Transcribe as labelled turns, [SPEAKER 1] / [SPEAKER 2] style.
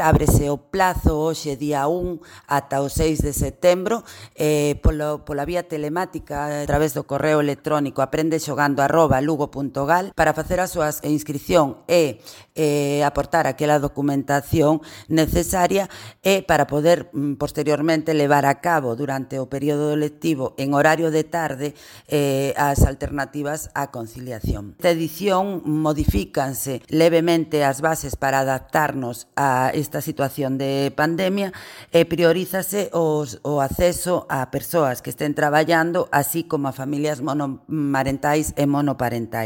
[SPEAKER 1] Ábrese o plazo hoxe día 1 ata o 6 de setembro pola vía telemática a través do correo electrónico aprendexogando@lugo.gal para facer a súa inscripción e aportar aquela documentación necesaria e para poder posteriormente levar a cabo durante o período lectivo en horario de tarde as alternativas á conciliación. Esta edición modifícanse levemente as bases para adaptarnos a esta situación de pandemia e priorízase o acceso a persoas que estén traballando, así como a familias monomarentais e monoparentais.